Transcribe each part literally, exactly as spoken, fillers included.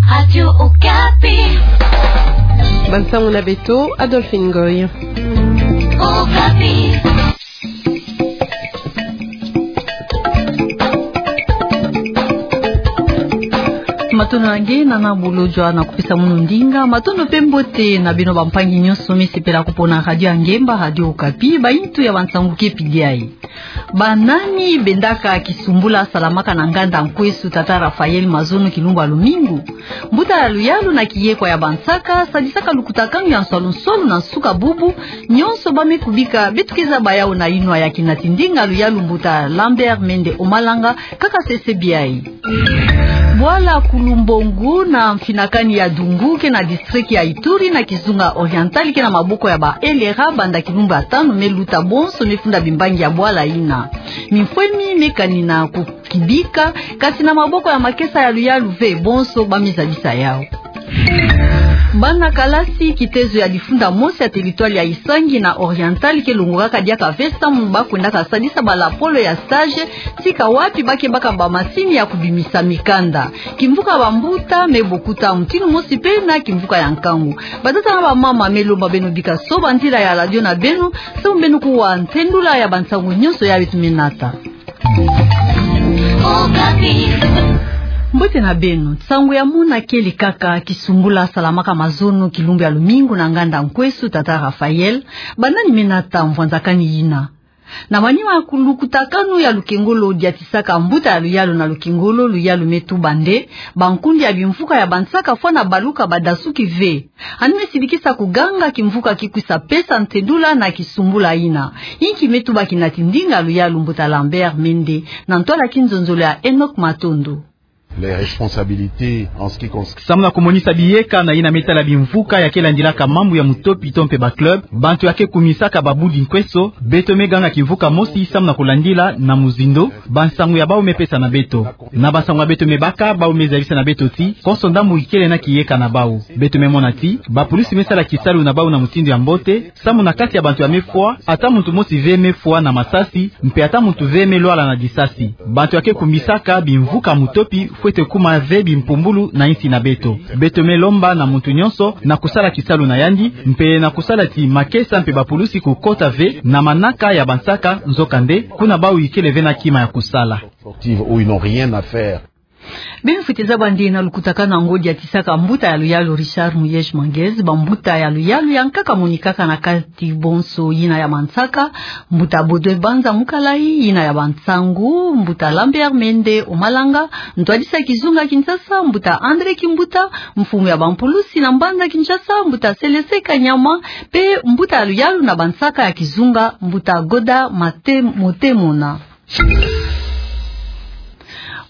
Radio Okapi. Bansangu na beto, Adolphine Ngoy. Okapi. Matondo na nge, nana bolodjwa na kupesa munu ndinga. Matondo pe mbote na beno bampangi nyonso me sepela kupona radio ya ngemba, Radio Okapi, bayitu ya bansangu ke pidi ayi. Banani bendaka kisumbula salamaka na nganda Nkwesu tata Raphaël mazono kilumbu ya lumingu? Mbuta ya luyalu na kiyekwa ya bansaka sadisaka lukutakanu ya nswalu-nswalu na nsuka bubu. Nyonso ba me kubika beto ke zaba yawu na yinwa ya kinati ndinga luyalu mbuta Lambert Mende Omalanga, kaka sese biai. Bwala Kulumbongo na mfinakani ya Dungu ke na district ya Ituri na kizunga Oriental ke na maboko ya ba L R A banda kilumbu ya tanu me luta, bonso me funda bimbangi ya bwala yina. Mifwemi me kanina kukibika, kasi na maboko ya makesa ya luyalu ve, bonso ba me zabisa yawu. Bana kalasi kitezo ya difunda mosi ya territoire ya Isangi na Oriental ke longokaka diaka ve samu ba kwendaka sadisa balapolo ya stage, tika wapi ba ke baka bamasini ya kubimisa mikanda. Kimvuka bambuta me bokuta mutinu mosi pe na kimvuka ya nkangu. Batata na bamama, me lomba beno bika soba nzila ya radio na beno, samu beno kuwa ntendula ya bansangu nyonso ya beto me nata. Mbote na beno, nsangu ya mona kele kaka kisumbula salamaka mazono kilumbu ya lumingu na nganda Nkwesu tata Raphaël. Banani me nata mvwanzakani yina? Na manima ya lukutakanu ya lukengolo diatisaka mbuta ya luyalu na lukengolo, luyalu me tuba nde bankundi ya bimvuka ya bansaka fwana baluka badasuki ve. Ani me sidikisa kuganga kimvuka ki kwisa pesa ntendula na kisumbula yina. Inki me tuba kinati ndinga luyalu mbuta Lambert Mende na ntwala kinzonzolo ya Enoch Matondo. Les responsabilités en ce qui concerne. Samu na kumonisa biyeka na yina me tala bimvuka ya ke landilaka mambu ya mutopi to mpe ba club, bantu ya ke kumisaka babudi Nkwesu, beto me ganga kimvuka mosi samu na kulandila na muzindo bansangu ya bawu me pesa na beto. Na bansangu ya beto me baka, bawu me zabisa na beto ti konso ndambu ikele na kiyeka na bawu. Beto me mona ti bapulusi me sala kisalu na bawu na mutindu ya mbote, samu na kati ya bantu ya me fwa, ata muntu mosi ve me fwa na masasi, mpe ata muntu ve me lwala na disasi. Bantu ya ke kumisaka bimvuka mutopi fwete kuma ve bimpumbulu na insi na beto. Beto me lomba na muntu nyonso na kusala kisalu na yandi, mpe na kusala ti makesa mpe bapulusi kukota ve na manaka ya bansaka, nzokande kuna bawu ikele ve na kima ya kusala. Sportive où ils n'ont rien à faire. Beno fwete zaba nde na lukutakanu yango diatisaka mbuta ya luyalu Richard Muyej Manguez, bambuta ya luyalu ya nkaka monikaka na kati bonso, yina ya mansaka, mbuta Baudouin Banza Mukalayi, yina ya bansangu, mbuta Lambert Mende Omalanga, ntwadisi ya kizunga Kinshasa, mbuta André Kimbuta, mfumu ya bampulusi na mbanza Kinshasa, mbuta Selese Kanyama, mpe mbuta ya luyalu na bansaka ya kizunga, mbuta Goda Mate-, Motemona.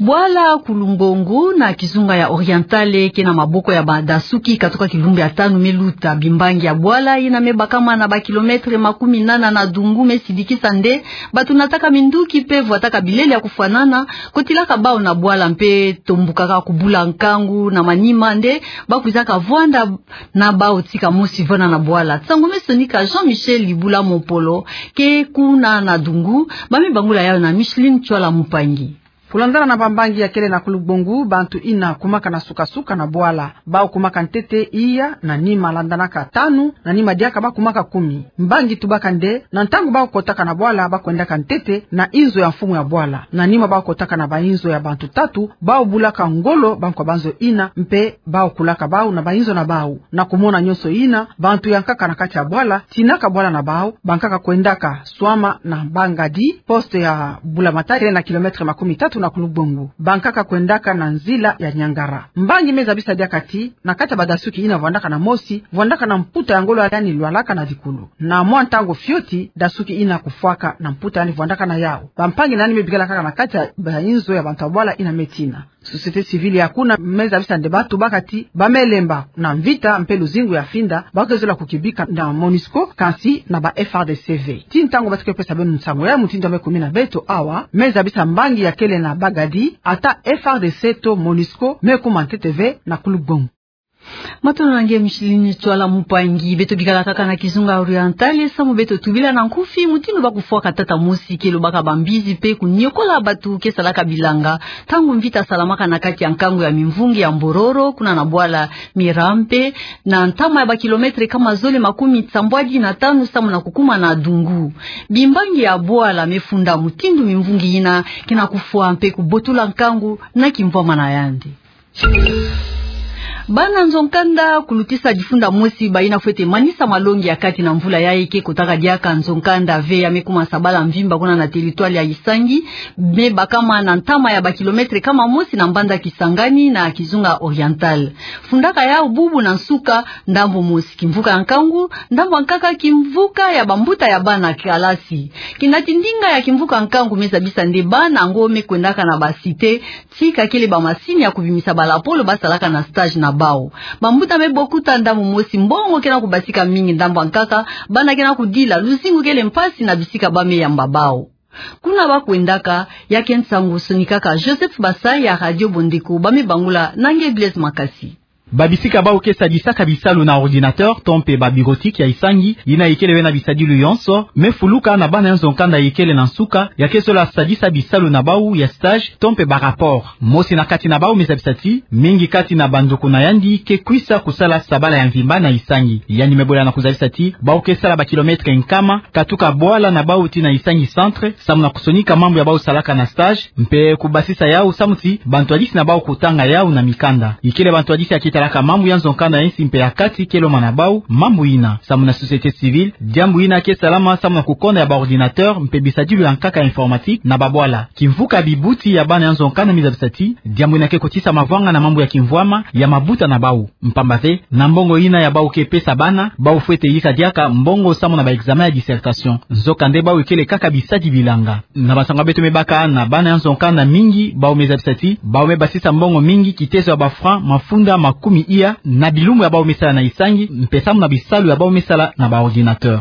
Bwala Kulumbongo na kizunga ya Orientale ke na maboko ya badasuki katoka kilumbu ya tanu me luta. Bimbangi ya bwala yina me bakama na ba kilomètre makumi nana na dungu me sidikisa nde bato nataka minduki mpe vwataka bilele ya kufwanana, kotilaka bawu na bwala mpe tombukaka kubula nkangu na manima nde ba kwizaka vwanda na bawu tika mosi vwanda na bwala. Nsangu me sonika Jean-Michel Libula Mopolo ke kuna na dungu, ba me bangula yawu na Micheline Tchwala Mupangi. Kulandana na bambangi ya kele na Kulumbongo, bantu ina kumaka na suka-suka na bwala. Bawu kumaka ntete iya, na nima landanaka tanu, na nima diaka ba kumaka kumi. Mbangi tubaka nde, na ntangu bawu kotaka na bwala, ba kwendaka ntete na inzo ya mfumu ya bwala. Na nima bawu kotaka na bainzo ya bantu tatu, bawu bulaka ngolo bankwa banzo ina, mpe bawu kulaka bawu na bainzo na bawu. Na kumona nyonso ina, bantu ya nkaka na kati ya bwala tinaka bwala na bawu, bankaka kwendaka swama na Bangadi, poste ya Bulamatari na kilomètre makumi tatu na Kulumbongo. Bankaka kwendaka na nzila ya Niangara. Mbangi me zabisa diaka ti, na kati ya badasuki ina vwandaka na mosi, vwandaka na mputa ya ngolo, yaani lwalaka na dikulu. Na mwa ntangu fioti, dasuki ina kufwaka na mputa, yaani vwandaka na yawu. Bampangi nani me bikala kaka na kati ya bainzo ya bantu ya bwala ina me tina. Société civile ya kuna me zabisa nde ba tubaka ti ba me lemba na mvita mpe luzingu ya finda, ba ke zola kukibika na MONUSCO, kansi na ba F A R D C ve. Ti ntangu ba ti ke pesa beno nsangu ya mutindu ya me kumina beto awa, me zabisa mbangi ya kele na Bangadi, ata F A R D C to MONUSCO me kuma ntete ve na Kulumbongo. Matondo na nge Micheline Tswala Mupangi. Beto bikala kaka na kizunga Oriental, samu beto tubila na nkufi mutindu ba kufwaka tata mosi ke lobaka bambizi pe kunyokola batu ke salaka bilanga, ntangu mvita salamaka na kati ya nkangu ya Mimvungi ya Mbororo, kuna na bwala Mirampe, na ntama ya bakilometre kama zole makumi sambwadi na tanu samu na kukuma na dungu. Bimbangi ya bwala me funda mutindu mimvungi yina ke na kufwa mpe kubotula nkangu na kimvwama na yandi. Bana nzo-nkanda kulutisa difunda mosi bayina fwete manisa malongi ya kati na mvula yayi ke kotaka diaka nzo-nkanda ve ya me kuma sabala mvimba kuna na territoire ya Isangi, me bakama na ntama ya bakilometre kama mosi na mbanza Kisangani na kizunga Oriental. Fundaka yau bubu na nsuka, ndambo mosi kimvuka ya nkangu, ndambo ya nkaka kimvuka ya bambuta ya bana kalasi. Kinati ndinga ya kimvuka ya nkangu me zabisa nde bana yango me kwendaka na ba cité, ti kakele bamasini ya kubimisa balapolo ba salaka na stage na bau. Bambuta me bokuta ndambo mosi mbongo ke na kubasika mingi, ndambo ya nkaka bana ke na kudila, luzingu kele mpasi na bisika ba me yamba bau. Kuna ba kwendaka, ya ke nsangu sonikaka Joseph Basai ya Radio Bondeko, ba me bangula na nge Blaise Makasi. Babisika bau ke sadisaka bisalu na ordinateur to mpe ba bureautique ya Isangi, yina ikele bena bisadilu yonso, me fuluka na bana ya nzo-nkanda ikele na nsuka, ya ke sola sadisa bisalu na bau ya stage to mpe ba rapport. Mosi na kati na bau me zabisa ti, mingi kati na banduku na yandi ke kwisa kusala sabala ya mvimba na Isangi. Yandi me bola na kuzabisa ti, bau ke sala bakilometre nkama, katuka bwala na bau ti na Isangi centre, samu na kusonika mambu ya bau salaka na stage, mpe kubasisa yau samu ti bantwadisi na bau kutanga yau na mikanda. Ikele bantwadisi ya kitalaka mambu ya nzo-nkanda ya insi mpe ya kati ke lomba na bau mambu yina. Samu na société civile, diambu yina ke salama samu na kukonda ya ba ordinateur mpe bisadilu ya nkaka ya informatique na babwala. Kimvuka bibuti ya bana ya nzo-nkanda me zabisa ti, diambu yina ke kotisa mavwanga na mambu ya kimvwama ya mabuta na bau. Mpamba ve, na mbongo yina ya bau ke pesa bana, bau fwete yika diaka mbongo samu na ba examen ya dissertation. Nzokande bau ikele kaka bisadi bilanga. Na bansangu ya beto me baka na bana ya nzo-nkanda mingi, bau me zabisa ti, bau me basisa mbongo mingi, kitezo ya ba francs mafunda makumi iya, na bilumbu ya bau me sala na Isangi, mpe samu na bisalu ya bau me sala na ba ordinateur.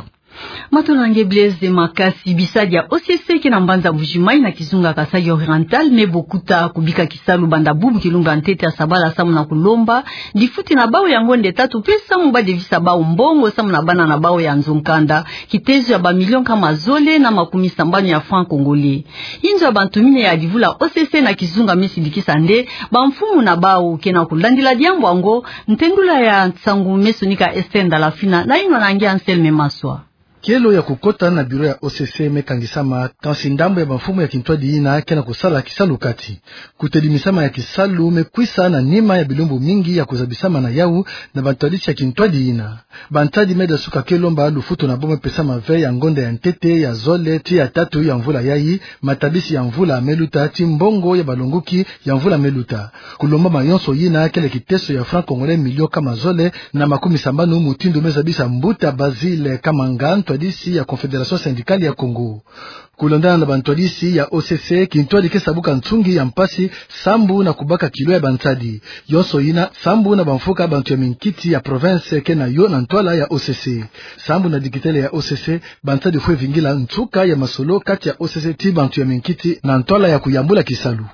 Matondo na nge Blaise Makasi. Bisadi ya O C C ke na mbanza Mbuji-Mayi na kizunga Kasaï Oriental me bokuta kubika kisalu banda bubu kilumbu ya ntete ya sabala samu na kulomba difuti na bau ya ngonde tatu mpe samu ba devisa bau mbongo samu na bana na bau ya nzo-nkanda, kitezo ya ba millions kama zole na makumi sambanu ya francs congolais. Inzo ya bantumine ya divula O C C na kizunga me sidikisa nde bamfumu na bau ke na kulandila diambu yango. Ntendula ya nsangu me sonika Esther Ndalafina na yinwa na nge Anselme Maswa. Kielo ya kukota na bureau ya O C C me kangisama, kansi ndambu ya bamfumu ya kintwadi yina ke na kusala kisalu kati. Kutelimisama ya kisalu me kwisa na nima ya bilumbu mingi ya kuzabisama na yau na bantwadisi ya kintwadi yina. Bantadi me dasuka ke lomba lufutu na bau me pesama ve ya ngonda ya ntete, ya zole, ti ya tatu ya mvula yayi, matabisi ya mvula me luta, ti mbongo ya balonguki ya mvula me luta. Kulomba mayonso yina kele kiteso ya francs congolais millions kama zole na makumi sambanu, mutindu me zabisa mbuta Basile Kamanga, ntwadisi ya Confédération Syndicale ya Congo. Kulandana na bantwadisi ya O C C, kintwadi ke sabuka nsungi ya mpasi sambu na kubaka kilo ya bantadi. Yonso yina sambu na bamfuka bantu ya minkiti ya province ke na yo na ntwala ya O C C. Sambu na dikitele ya O C C, bantadi fwe vingila nsuka ya masolo kati ya O C C ti bantu ya minkiti na ntwala ya kuyambula kisalu.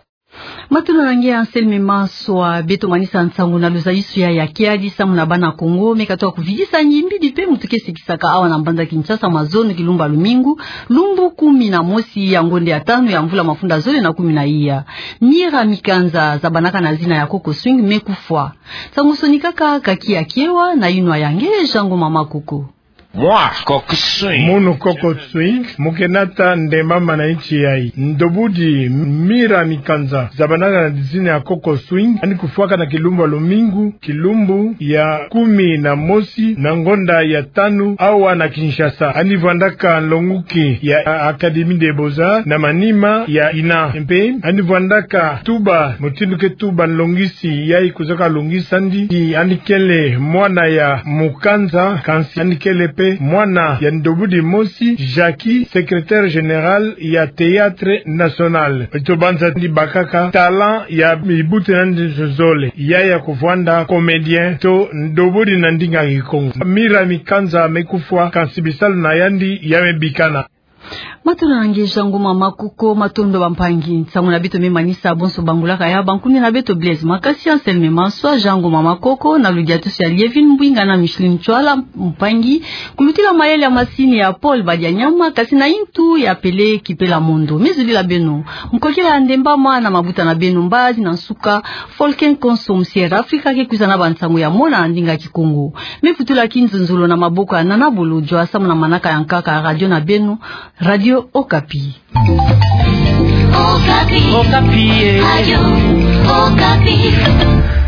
Matondo na nge Anselme Maswa. Beto manisa nsangu na luzayisi ya kiadi samu na bana Kongo me katuka kuvidisa ngimbidi mpe mutu ke sikisaka awa na mbanza Kinshasa mazono kilumbu ya lumingu, lumbu kumi na mosi ya ngonda ya tanu ya mvula mafunda zole na kumi na iya. Mira Mikanza, zabanaka na zina ya Coco Swing, me kufwa. Nsangu sonikaka kaki ya kiewa na yinwa ya nge Jean Ngoma Makoko. Mwa Coco Swing. Munu Coco Swing mu ke nata ndemama na insi yayi. Ndobudi Mira Mikanza, zabanaka na dizina ya Coco Swing, yandi kufwaka na kilumbu ya lumingu, kilumbu ya kumi na mosi na ngonda ya tanu awa na Kinshasa. Yandi vwandaka nlonguki ya Académie des Beaux-Arts na manima ya INA. Mpe yandi vwandaka tuba mutindu ke tuba nlongi si yayi kuzaka longisa yandi, ti yandi kele mwana ya Mukanza, kansi yandi kele mpe mwana ya ndobudi mosi, Jackie, secrétaire général ya Théâtre National. Beto banza yandi bakaka talent ya mibuti na yandi zole, ya ya kuvwanda comédien to ndobudi na ndinga Kikongo. Mira Mikanza me kufwa, kansi bisalu na yandi ya me bikana. Matondo na nge Jean Ngoma Makoko, matondo bampangi. Nsangu na beto me manisa bonso bangula kaya, bankuni na beto Blaise Makasi, Anselme Manswa, Jean Ngoma Makoko, na ludiatusi ya Lievine Mbwinga na Micheline Ntsoala, mpangi. Kulutila mayele ya masini ya Paul Badianyama, kasi na intu ya Pele Kipela Mondo. Me zolila beno. Nkokila ya ndemba ma na mabuta na beno, mbazi na nsuka, Folken Konso, Musier Afrika ke kwiza na bansangu ya mona na ndinga Kikongo. Me putula kinzonzolo na maboko ya Nana Bolodjwa, samu na manaka ya nkaka ya radio na beno, Radio Okapi. Okapi. Okapi, eh. Radio Okapi.